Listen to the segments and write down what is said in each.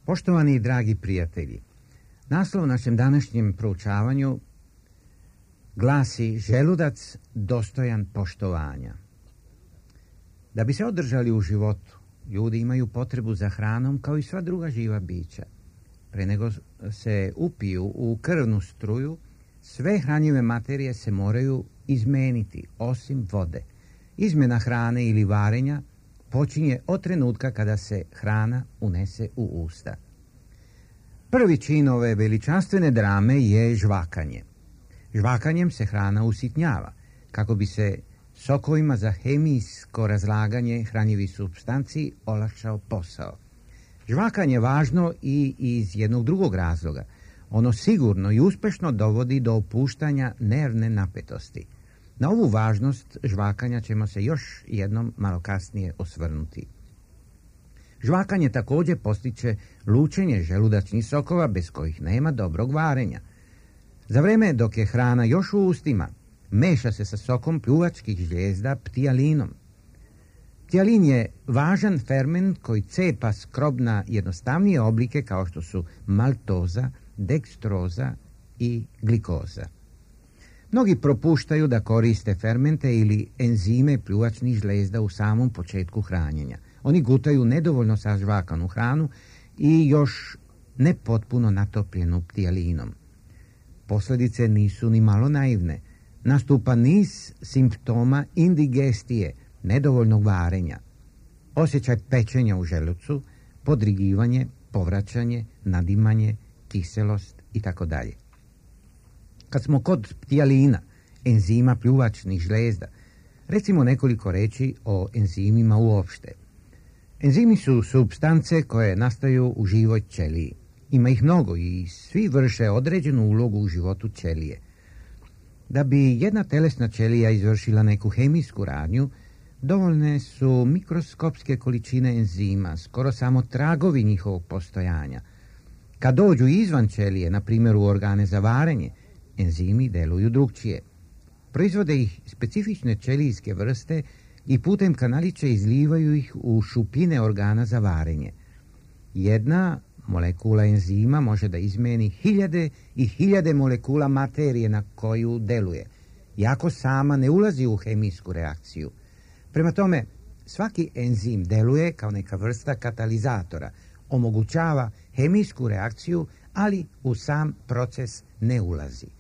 Poštovani i dragi prijatelji, naslov našem današnjem proučavanju glasi Želudac dostojan poštovanja. Da bi se održali u životu, ljudi imaju potrebu za hranom kao i sva druga živa bića. Pre nego se upiju u krvnu struju, sve hranjive materije se moraju izmeniti, osim vode. Izmjena hrane ili varenja počinje od trenutka kada se hrana unese u usta. Prvi čin ove veličanstvene drame je žvakanje. Žvakanjem se hrana usitnjava, kako bi se sokovima za hemijsko razlaganje hranjivih supstanci olakšao posao. Žvakanje je važno i iz jednog drugog razloga. Ono sigurno i uspešno dovodi do opuštanja nervne napetosti. Na ovu važnost žvakanja ćemo se još jednom malo kasnije osvrnuti. Žvakanje također postiče lučenje želudačnih sokova bez kojih nema dobrog varenja. Za vreme dok je hrana još u ustima, meša se sa sokom pljuvačkih žlijezda ptijalinom. Ptijalin je važan ferment koji cepa skrob na jednostavnije oblike kao što su maltoza, dekstroza i glikoza. Mnogi propuštaju da koriste fermente ili enzime pljuvačnih žlijezda u samom početku hranjenja. Oni gutaju nedovoljno sažvakanu hranu i još nepotpuno natopljenu ptijalinom. Posljedice nisu ni malo naivne. Nastupa niz simptoma indigestije, nedovoljnog varenja, osjećaj pečenja u želucu, podrigivanje, povraćanje, nadimanje, kiselost itd. Kad smo kod ptijalina, enzima pljuvačnih žlijezda, recimo nekoliko reći o enzimima uopšte. Enzimi su supstance koje nastaju u živoj ćeliji. Ima ih mnogo i svi vrše određenu ulogu u životu ćelije. Da bi jedna telesna ćelija izvršila neku hemijsku radnju, dovoljne su mikroskopske količine enzima, skoro samo tragovi njihovog postojanja. Kad dođu izvan ćelije, na primjer u organe za varenje, enzimi deluju drugčije. Proizvode ih specifične ćelijske vrste i putem kanaliće izlivaju ih u šupljine organa za varenje. Jedna molekula enzima može da izmeni hiljade i hiljade molekula materije na koju deluje, iako sama ne ulazi u hemijsku reakciju. Prema tome, svaki enzim deluje kao neka vrsta katalizatora, omogućava hemijsku reakciju, ali u sam proces ne ulazi.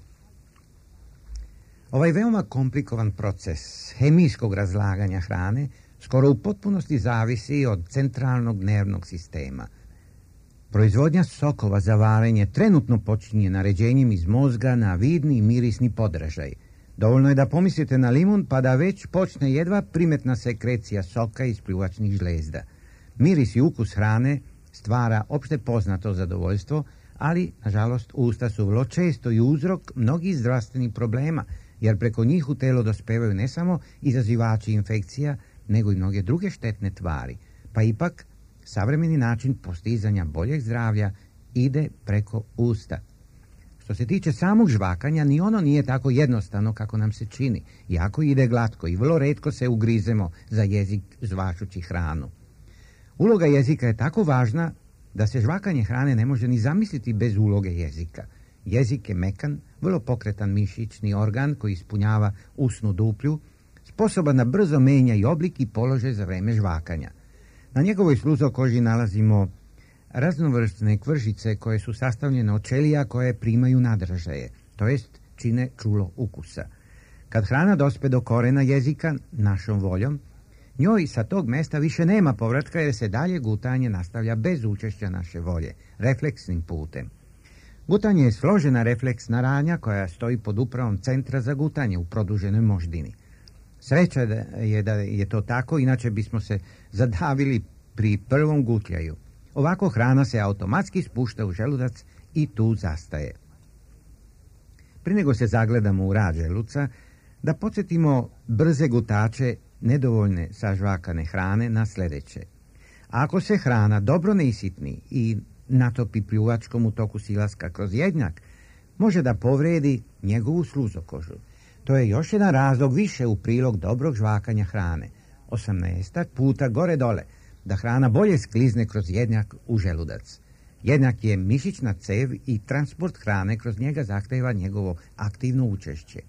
Ovaj veoma komplikovan proces hemijskog razlaganja hrane skoro u potpunosti zavisi od centralnog nervnog sistema. Proizvodnja sokova za varenje trenutno počinje naređenjem iz mozga na vidni i mirisni podražaj. Dovoljno je da pomislite na limun pa da već počne jedva primetna sekrecija soka iz pljuvačnih žlijezda. Miris i ukus hrane stvara opšte poznato zadovoljstvo, ali, nažalost, usta su vrlo često i uzrok mnogih zdravstvenih problema, jer preko njih u telo dospevaju ne samo izazivači infekcija, nego i mnoge druge štetne tvari. Pa ipak, savremeni način postizanja boljeg zdravlja ide preko usta. Što se tiče samog žvakanja, ni ono nije tako jednostavno kako nam se čini, jako ide glatko i vrlo retko se ugrizemo za jezik žvačući hranu. Uloga jezika je tako važna da se žvakanje hrane ne može ni zamisliti bez uloge jezika. Jezik je mekan, vrlo pokretan mišićni organ koji ispunjava usnu duplju, sposoban da brzo menja i oblik i položaj za vreme žvakanja. Na njegovoj sluzokoži nalazimo raznovrsne kvržice koje su sastavljene od ćelija koje primaju nadražaje, to jest čine čulo ukusa. Kad hrana dospe do korena jezika, našom voljom, njoj sa tog mesta više nema povratka jer se dalje gutanje nastavlja bez učešća naše volje, refleksnim putem. Gutanje je složena refleksna radnja koja stoji pod upravom centra za gutanje u produženoj moždini. Sreća je da je to tako, inače bismo se zadavili pri prvom gutljaju. Ovako hrana se automatski spušta u želudac i tu zastaje. Prije nego se zagledamo u rad želuca, da podsjetimo brze gutače nedovoljne sažvakane hrane na sljedeće. Ako se hrana dobro ne isitni i natopi pljuvačkom u toku silaska kroz jednjak, može da povredi njegovu sluzokožu. To je još jedan razlog više u prilog dobrog žvakanja hrane. 18 puta gore dole, da hrana bolje sklizne kroz jednjak u želudac. Jednjak je mišićna cev i transport hrane kroz njega zahteva njegovo aktivno učešće.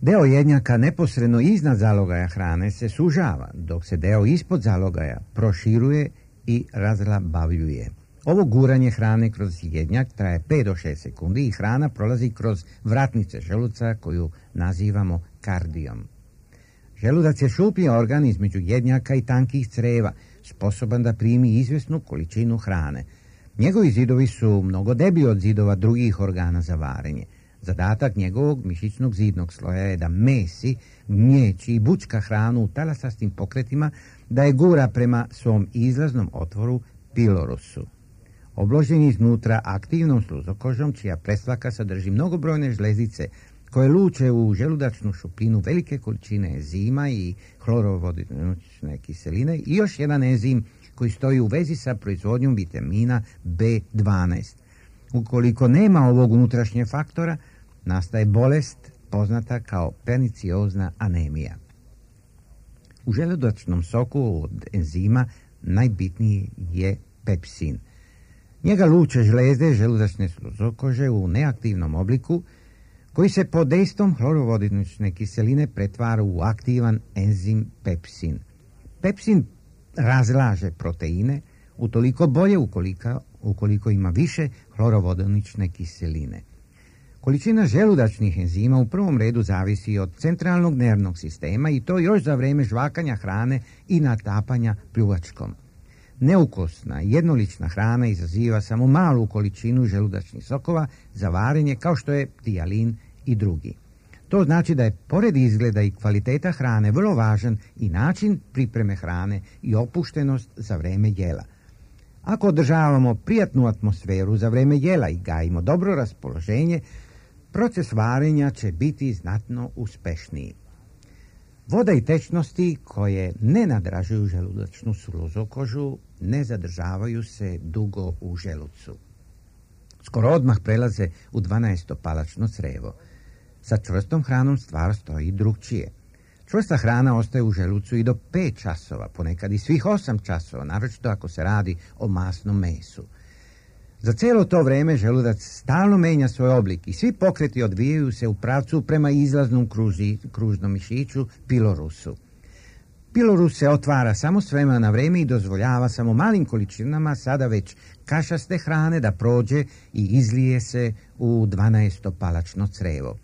Deo jednjaka neposredno iznad zalogaja hrane se sužava, dok se deo ispod zalogaja proširuje i razlabavljuje. Ovo guranje hrane kroz jednjak traje 5 do 6 sekundi i hrana prolazi kroz vratnice želuca koju nazivamo kardijom. Želudac je šuplji organ između jednjaka i tankih creva, sposoban da primi izvjesnu količinu hrane. Njegovi zidovi su mnogo deblji od zidova drugih organa za varenje. Zadatak njegovog mišićnog zidnog sloja je da mesi, gnječi i bučka hranu u talasastim pokretima, da je gura prema svom izlaznom otvoru pilorusu. Obložen iznutra aktivnom sluzokožom, čija presvaka sadrži mnogobrojne žlezice koje luče u želudačnu šupljinu velike količine enzima i hlorovodonične kiseline i još jedan enzim koji stoji u vezi sa proizvodnjom vitamina B12. Ukoliko nema ovog unutrašnjeg faktora, nastaje bolest poznata kao perniciozna anemija. U želudačnom soku od enzima najbitniji je pepsin. Njega luče žlezde želudačne sluzokože u neaktivnom obliku, koji se pod dejstvom hlorovodonične kiseline pretvara u aktivan enzim pepsin. Pepsin razlaže proteine, utoliko bolje ukoliko ima više hlorovodonične kiseline. Količina želudačnih enzima u prvom redu zavisi od centralnog nervnog sistema i to još za vrijeme žvakanja hrane i natapanja pljuvačkom. Neukosna, jednolična hrana izaziva samo malu količinu želudačnih sokova za varenje kao što je tijalin i drugi. To znači da je pored izgleda i kvaliteta hrane vrlo važan i način pripreme hrane i opuštenost za vrijeme jela. Ako održavamo prijatnu atmosferu za vrijeme jela i gajimo dobro raspoloženje, proces varenja će biti znatno uspešniji. Voda i tečnosti koje ne nadražuju želudačnu sluzokožu ne zadržavaju se dugo u želucu. Skoro odmah prelaze u 12-palačno crevo. Sa čvrstom hranom stvar stoji drugčije. Čvrsta hrana ostaje u želucu i do 5 časova, ponekad i svih 8 časova, naročito ako se radi o masnom mesu. Za cijelo to vrijeme želudac stalno menja svoj oblik i svi pokreti odvijaju se u pravcu prema izlaznom kružnom mišiću pilorusu. Pilorus se otvara samo s vremena na vrijeme i dozvoljava samo malim količinama sada već kašaste hrane da prođe i izlije se u 12-palačno crevo.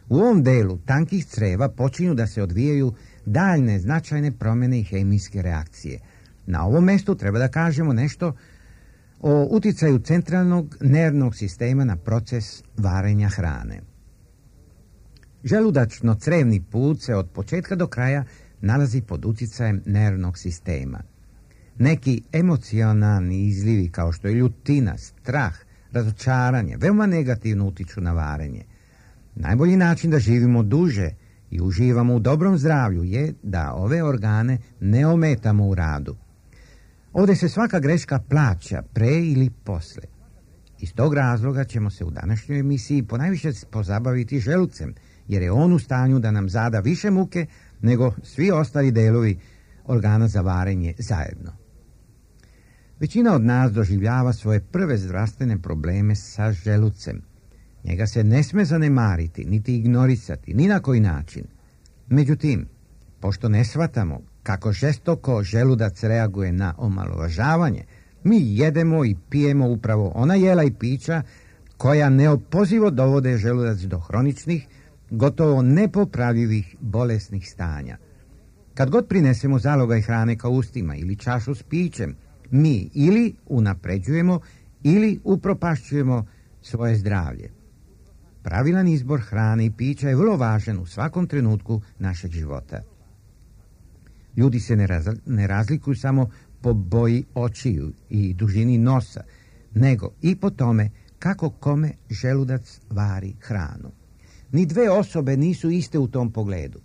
U ovom delu tankih creva počinju da se odvijaju daljne značajne promjene i hemijske reakcije. Na ovom mjestu treba da kažemo nešto o uticaju centralnog nervnog sistema na proces varenja hrane. Želudačno-crevni put se od početka do kraja nalazi pod utjecajem nervnog sistema. Neki emocionalni izlivi kao što je ljutina, strah, razočaranje veoma negativno utiču na varenje. Najbolji način da živimo duže i uživamo u dobrom zdravlju je da ove organe ne ometamo u radu. Ovdje se svaka greška plaća pre ili posle. Iz tog razloga ćemo se u današnjoj emisiji ponajviše pozabaviti želucem, jer je on u stanju da nam zada više muke nego svi ostali delovi organa za varenje zajedno. Većina od nas doživljava svoje prve zdravstvene probleme sa želucem. Njega se ne sme zanemariti, niti ignorisati, ni na koji način. Međutim, pošto ne shvatamo kako žestoko želudac reaguje na omalovažavanje, mi jedemo i pijemo upravo ona jela i pića koja neopozivo dovode želudac do hroničnih, gotovo nepopravljivih bolesnih stanja. Kad god prinesemo zalogaj hrane ka ustima ili čašu s pićem, mi ili unapređujemo ili upropašćujemo svoje zdravlje. Pravilan izbor hrane i pića je vrlo važan u svakom trenutku našeg života. Ljudi se ne razlikuju samo po boji očiju i dužini nosa, nego i po tome kako kome želudac vari hranu. Ni dve osobe nisu iste u tom pogledu.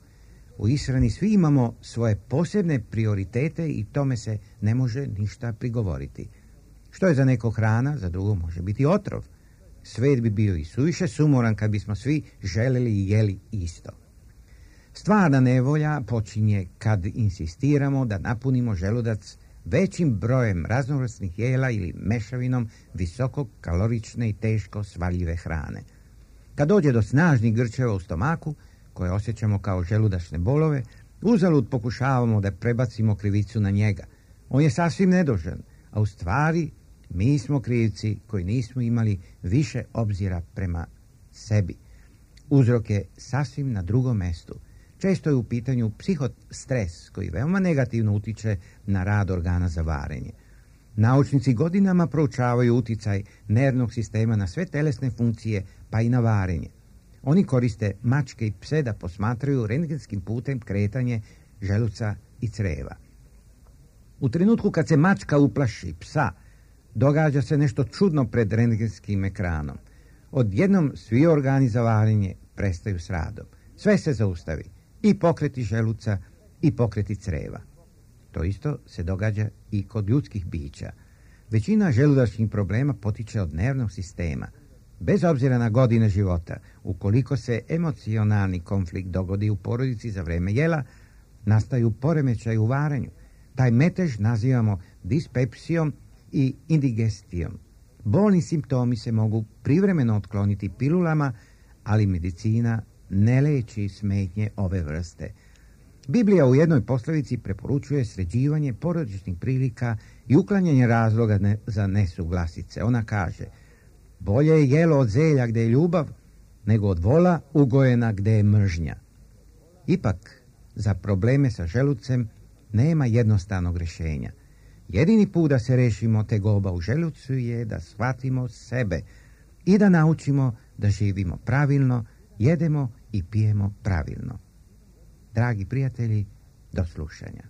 U ishrani svi imamo svoje posebne prioritete i tome se ne može ništa prigovoriti. Što je za neko hrana, za drugo može biti otrov. Svet bi bio i suviše sumoran kad bismo svi želeli i jeli isto. Stvarna nevolja počinje kad insistiramo da napunimo želudac većim brojem raznovrsnih jela ili mešavinom visokokalorične i teško svaljive hrane. Kad dođe do snažnih grčeva u stomaku, koje osjećamo kao želudačne bolove, uzalud pokušavamo da prebacimo krivicu na njega. On je sasvim nedužan, a u stvari mi smo krivci koji nismo imali više obzira prema sebi. Uzrok je sasvim na drugom mestu. Često je u pitanju psihostres koji veoma negativno utiče na rad organa za varenje. Naučnici godinama proučavaju uticaj nervnog sistema na sve telesne funkcije, pa i na varenje. Oni koriste mačke i pse da posmatraju rentgenskim putem kretanje želuca i creva. U trenutku kad se mačka uplaši psa, događa se nešto čudno pred rentgenskim ekranom. Odjednom svi organi za varenje prestaju s radom. Sve se zaustavi, i pokreti želuca i pokreti creva. To isto se događa i kod ljudskih bića. Većina želudačnih problema potiče od nervnog sistema. Bez obzira na godine života, ukoliko se emocionalni konflikt dogodi u porodici za vreme jela, nastaju poremećaj u varenju. Taj metež nazivamo dispepsijom i indigestijom. Bolni simptomi se mogu privremeno otkloniti pilulama, ali medicina ne leči smetnje ove vrste. Biblija u jednoj poslovici preporučuje sređivanje porodičnih prilika i uklanjanje razloga za nesuglasice. Ona kaže: bolje je jelo od zelja gde je ljubav, nego od vola ugojena gde je mržnja. Ipak, za probleme sa želucem nema jednostavnog rješenja. Jedini put da se rešimo tegoba u želucu je da shvatimo sebe i da naučimo da živimo pravilno, jedemo i pijemo pravilno. Dragi prijatelji, do slušanja.